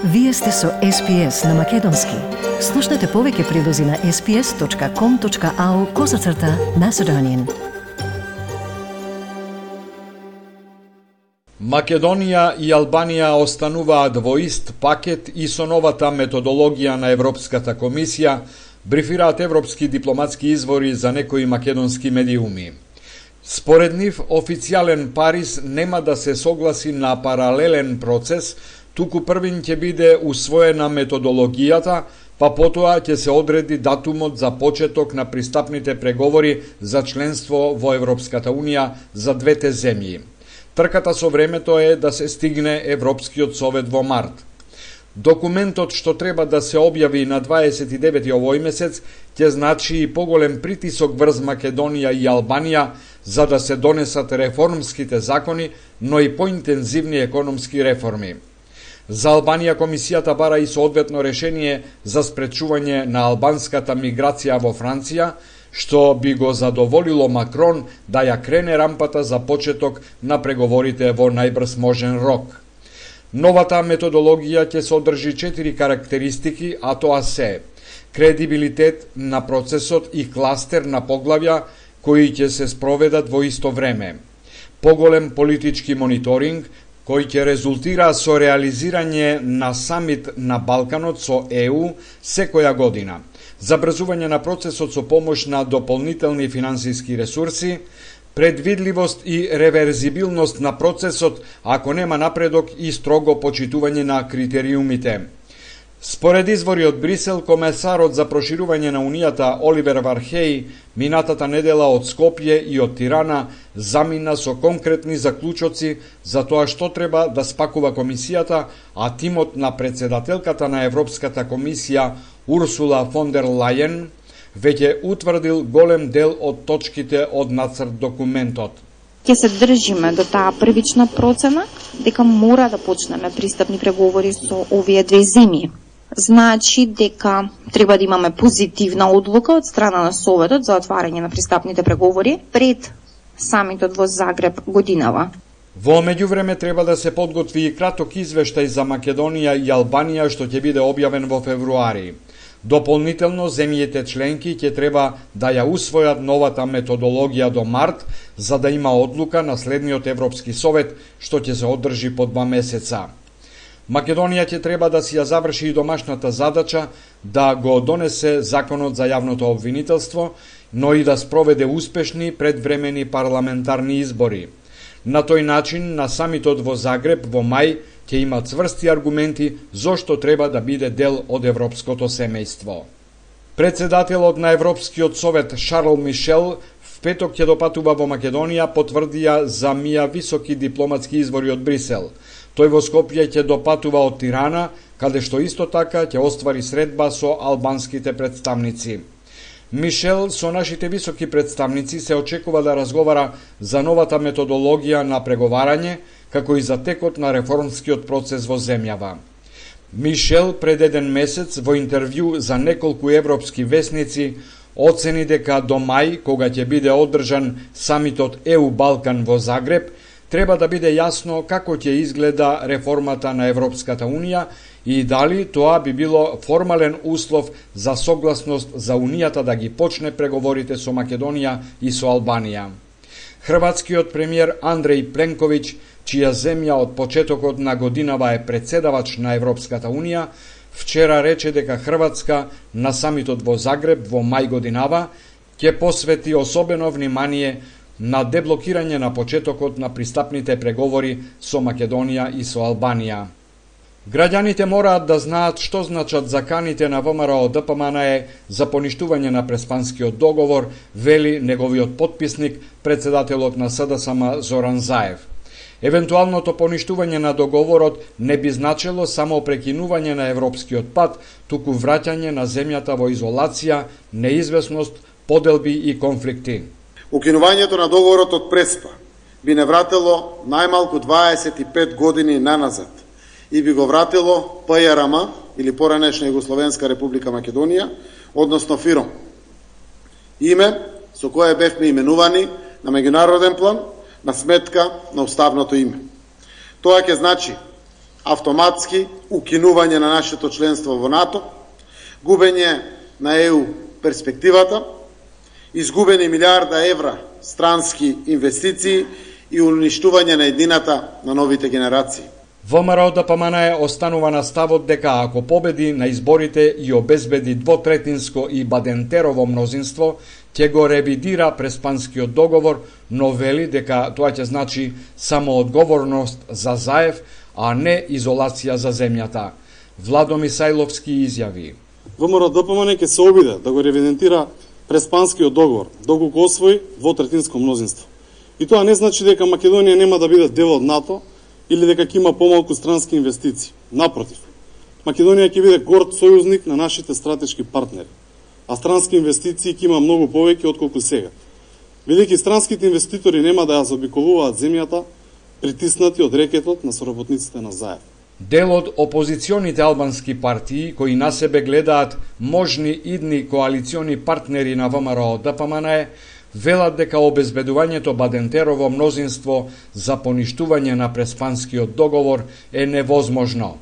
Вие сте со SPS на Македонски. Слушнете повеќе прилози на sps.com.au/Macedonian. Македонија и Албанија остануваат во ист пакет и со новата методологија на Европската комисија, брифираат европски дипломатски извори за некои македонски медиуми. Според нив, официјален Париз нема да се согласи на паралелен процес, туку првин ќе биде усвоена методологијата, па потоа ќе се одреди датумот за почеток на пристапните преговори за членство во Европската Унија за двете земји. Трката со времето е да се стигне Европскиот совет во март. Документот што треба да се објави на 29 овој месец ќе значи и поголем притисок врз Македонија и Албанија за да се донесат реформските закони, но и поинтензивни економски реформи. За Албанија комисијата бара и соодветно решение за спречување на албанската миграција во Франција, што би го задоволило Макрон да ја крене рампата за почеток на преговорите во најбрз можен рок. Новата методологија ќе содржи 4 карактеристики, а тоа се кредибилитет на процесот и кластер на поглавја кои ќе се спроведат во исто време, поголем политички мониторинг, кој ќе резултира со реализирање на самит на Балканот со ЕУ секоја година, забрзување на процесот со помош на дополнителни финансиски ресурси, предвидливост и реверзибилност на процесот ако нема напредок и строго почитување на критериумите. Според извори од Брисел, комесарот за проширување на Унијата Оливер Вархеј минатата недела од Скопје и од Тирана замина со конкретни заклучоци за тоа што треба да спакува комисијата, а тимот на председателката на Европската комисија Урсула фон дер Лајен веќе утврдил голем дел од точките од нацрт документот. Ќе се држиме до таа првична процена дека мора да почнеме пристапни преговори со овие две земји. Значи дека треба да имаме позитивна одлука од страна на Советот за отварање на пристапните преговори пред самитот во Загреб годинава. Во меѓувреме треба да се подготви и краток извештај за Македонија и Албанија што ќе биде објавен во февруари. Дополнително, земјите членки ќе треба да ја усвојат новата методологија до март, за да има одлука на следниот Европски совет, што ќе се одржи по 2 месеца. Македонија ќе треба да си ја заврши и домашната задача да го донесе законот за јавното обвинителство, но и да спроведе успешни предвремени парламентарни избори. На тој начин, на самитот во Загреб во мај ќе има цврсти аргументи зошто треба да биде дел од европското семејство. Председателот на Европскиот совет Шарл Мишел в петок ќе допатува во Македонија, потврдија за мија високи дипломатски извори од Брисел. Тој во Скопје ќе допатува од Тирана, каде што исто така ќе оствари средба со албанските представници. Мишел со нашите високи представници се очекува да разговара за новата методологија на преговарање, како и за текот на реформскиот процес во земјава. Мишел пред еден месец во интервју за неколку европски весници оцени дека до мај, кога ќе биде одржан самитот ЕУ Балкан во Загреб, треба да биде јасно како ќе изгледа реформата на Европската Унија и дали тоа би било формален услов за согласност за Унијата да ги почне преговорите со Македонија и со Албанија. Хрватскиот премиер Андреј Пленковиќ, чија земја од почетокот на годинава е председавач на Европската Унија, вчера рече дека Хрватска на самитот во Загреб во мај годинава ќе посвети особено внимание на деблокирање на почетокот на пристапните преговори со Македонија и со Албанија. Граѓаните мораат да знаат што значат заканите на ВМРО ДПМНЕ за поништување на Преспанскиот договор, вели неговиот потписник, председателот на СДСМ Зоран Заев. Евентуалното поништување на договорот не би значело само прекинување на европскиот пат, туку враќање на земјата во изолација, неизвестност, поделби и конфликти. Укинувањето на договорот од Преспа би не вратило најмалку 25 години наназад и би го вратило ПЈРМ или поранешна Југословенска република Македонија, односно ФИРОМ. Име со кое бевме именувани на меѓународен план на сметка на уставното име. Тоа ќе значи автоматски укинување на нашето членство во НАТО, губење на ЕУ перспективата, изгубени милиарда евра странски инвестиции и уништување на еднината на новите генерации. ВМРО ДПМН останува на ставот дека ако победи на изборите и обезбеди двотретинско и бадентерово мнозинство, ќе го ревидира Преспанскиот договор, но вели дека тоа ќе значи само одговорност за Заев, а не изолација за земјата. Владо Мисајловски изјави: ВМРО ДПМН ќе се обиде да го ревидентира Преспанскиот договор, доколку освои двотретинско мнозинство. И тоа не значи дека Македонија нема да биде дел од НАТО или дека ќе има помалку странски инвестиции. Напротив, Македонија ќе биде горд сојузник на нашите стратешки партнери, а странски инвестиции ќе има многу повеќе отколку сега. Бидејќи странските инвеститори нема да ја заобиколуваат земјата, притиснати од рекетот на соработниците на Заев. Дел од опозиционите албански партии кои на себе гледаат можни идни коалициони партнери на ВМРО ДПМН велат дека обезбедувањето бадентерово мнозинство за поништување на Преспанскиот договор е невозможно.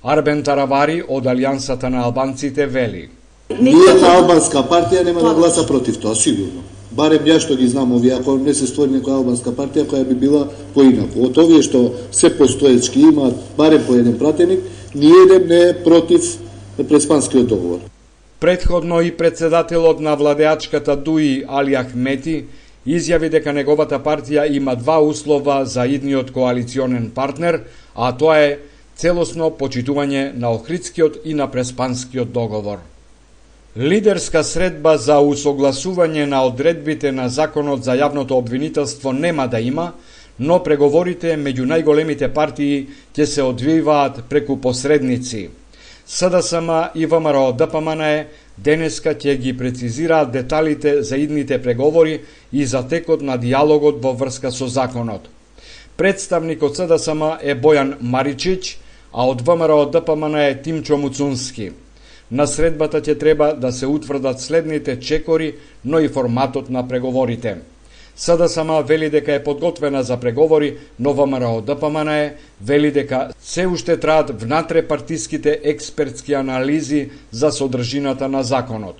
Арбен Таравари од Алијансата на албанците вели: Ниједна албанска партија нема да гласа против тоа, сигурно. Барем ја што ги знам овие, ако не се створи некоја албанска партија која би била поинаку. Од овие што се постоечки имаат барем по еден пратеник, ниеден не е против Преспанскиот договор. Претходно и председателот на владеачката ДУИ Али Ахмети изјави дека неговата партија има два услова за идниот коалиционен партнер, а тоа е целосно почитување на Охридскиот и на Преспанскиот договор. Лидерска средба за усогласување на одредбите на Законот за јавното обвинителство нема да има, но преговорите меѓу најголемите партии ќе се одвиваат преку посредници. СДСМ и ВМРО ДПМН денеска ќе ги прецизираат деталите за идните преговори и за текот на диалогот во врска со законот. Представник од СДСМ е Бојан Маричич, а од ВМРО ДПМН е Тимчо Муцунски. На средбата ќе треба да се утврдат следните чекори, но и форматот на преговорите. СДСМ вели дека е подготвена за преговори, но ВМРО ДПМН вели дека се уште траат внатрепартиските експертски анализи за содржината на законот.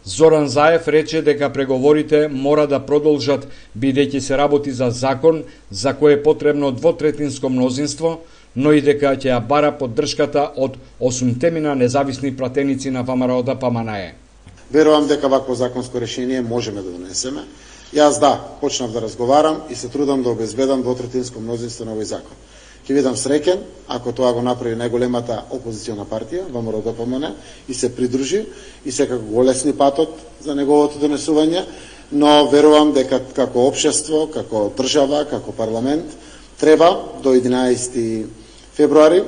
Зоран Заев рече дека преговорите мора да продолжат бидејќи се работи за закон за кој е потребно двотретинско мнозинство, но и дека ќе ја бара поддршката од 8 независни пратеници на ВМРО ДПМН. Верувам дека вакво законско решение можеме да донесеме. Јас почнав да разговарам и се трудам да обезбедам двотретинско мнозинство на овој закон. Ќе бидам среќен ако тоа го направи најголемата опозициона партија, ВМРО ДПМН, и се придружи и секако го лесни патот за неговото донесување, но верувам дека како општество, како држава, како парламент треба до 11 февруари,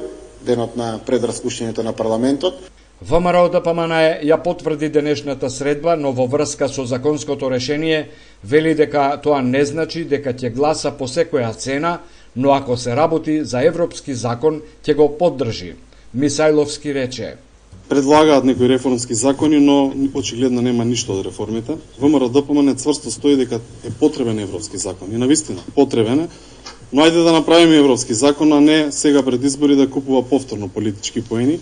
денот на предраспуштањето на парламентот. ВМРО ДПМН ја потврди денешната средба, но во врска со законското решение вели дека тоа не значи дека ќе гласа по секоја цена, но ако се работи за европски закон, ќе го поддржи. Мисајловски рече: Предлагаат некои реформски закони, но очигледно нема ништо од реформите. ВМРО ДПМН цврсто стои дека е потребен европски закон. И навистина, потребен е, но ајде да направиме европски закон, а не сега пред избори да купува повторно политички поени.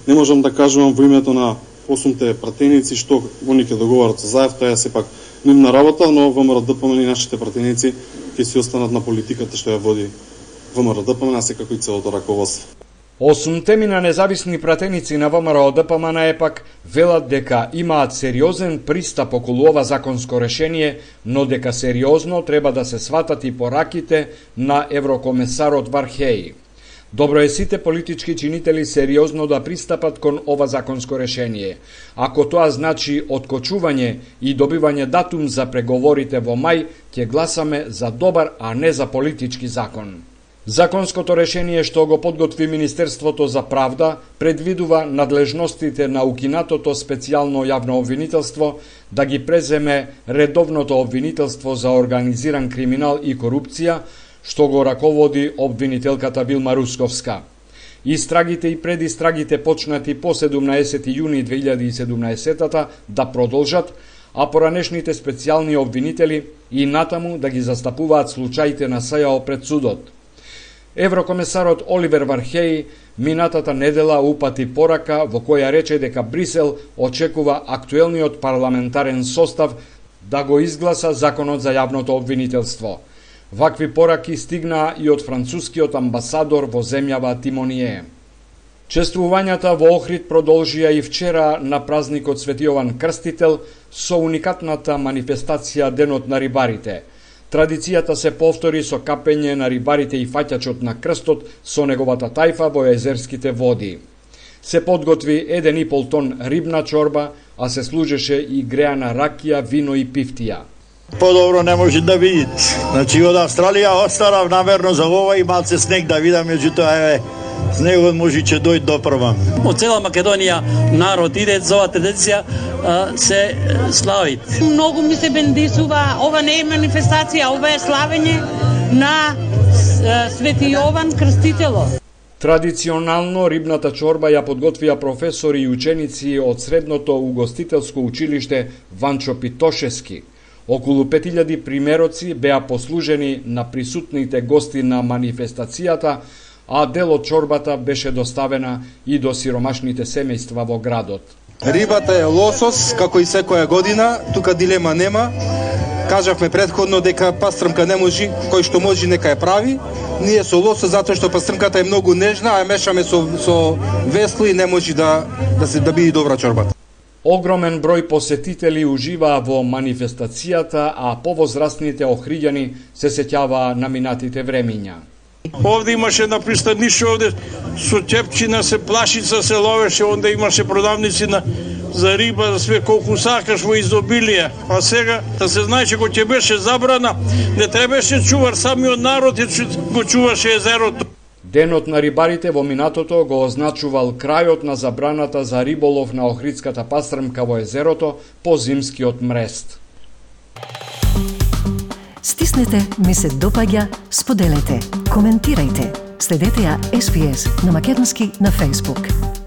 Не можам да кажувам во името на 8 пратеници што они ќе договарат со Заев, тоа е сепак нивна работа, но ВМРО ДПМН и нашите пратеници ќе си останат на политиката што ја води ВМРО ДПМН, секако и целото раководство. 8 независни пратеници на ВМРО ДПМН пак велат дека имаат сериозен пристап околу ова законско решение, но дека сериозно треба да се сватат и пораките на еврокомесарот Вархеи. Добро е сите политички чинители сериозно да пристапат кон ова законско решение. Ако тоа значи откочување и добивање датум за преговорите во мај, ќе гласаме за добар, а не за политички закон. Законското решение што го подготви Министерството за правда предвидува надлежностите на укинатото специјално јавно обвинителство да ги преземе редовното обвинителство за организиран криминал и корупција, што го раководи обвинителката Вилма Русковска. Истрагите и предистрагите почнати по 17 јуни 2017 да продолжат, а поранешните специјални обвинители и натаму да ги застапуваат случаите на СЈО пред судот. Еврокомесарот Оливер Вархеј минатата недела упати порака во која рече дека Брисел очекува актуелниот парламентарен состав да го изгласа законот за јавното обвинителство. Вакви пораки стигнаа и од францускиот амбасадор во земјава Тимоние. Чествувањата во Охрид продолжија и вчера на празникот Свети Јован Крстител со уникатната манифестација Денот на рибарите. Традицијата се повтори со капење на рибарите и фаќачот на крстот со неговата тајфа во езерските води. Се подготви 1,5 тон рибна чорба, а се служеше и греана ракија, вино и пифтија. Подобро не може да видите. Значи од Австралија останав намерно за ова и малце снег да видам, меѓутоа снегот може че дојде до прва. Од цела Македонија народ иде за оваа традиција се слави. Многу ми се бендисува, ова не е манифестација, ова е славење на Свети Јован Крстителот. Традиционално рибната чорба ја подготвија професори и ученици од средното угостителско училиште Ванчо Питошески. Околу 5000 примероци беа послужени на присутните гости на манифестацијата, а дел од чорбата беше доставена и до сиромашните семејства во градот. Рибата е лосос, како и секоја година, тука дилема нема. Кажавме претходно дека пастрмка не може, кој што може нека ја прави. Ние со лосос затоа што пастрмката е многу нежна, а мешаме со весло и не може да биде добра чорбата. Огромен број посетители уживаа во манифестацијата, а повозрастните охриѓани се сеќаваа на минатите времиња. Овде имаше на пристаниште, овде со ќепчина се плашица се ловеше, онде имаше продавници за риба, за све колку сакаш во изобилие. А сега, да се знаеше кога ќе беше забрана, не требаше чувар, самиот народ го чуваше езерото. Денот на рибарите во минатото го означувал крајот на забраната за риболов на охридската пастрмка во езерото по зимскиот мрест. Стиснете, ми се допаѓа, споделете, коментирајте. Следете ја SPS на Македонски на Facebook.